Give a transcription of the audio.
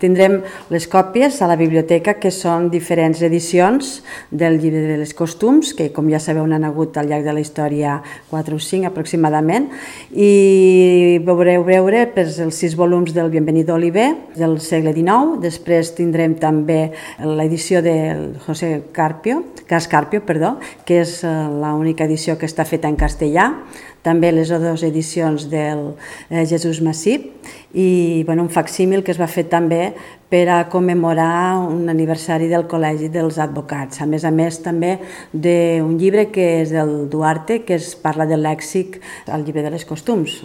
Tindrem les còpies a la biblioteca, que són diferents edicions del llibre de les costums, que com ja sabeu n'han hagut al llarg de la història 4 o 5 aproximadament, i veureu els 6 volums del Bienvenido Oliver del segle XIX. Després tindrem també l'edició del José Carpio, que és l'única edició que està feta en castellà, també les 2 edicions del Jesús Massip i un facsímil que es va fer també per a commemorar un aniversari del Col·legi dels Advocats. A més també d'un llibre que és del Duarte, que es parla del lèxic al llibre de les costums.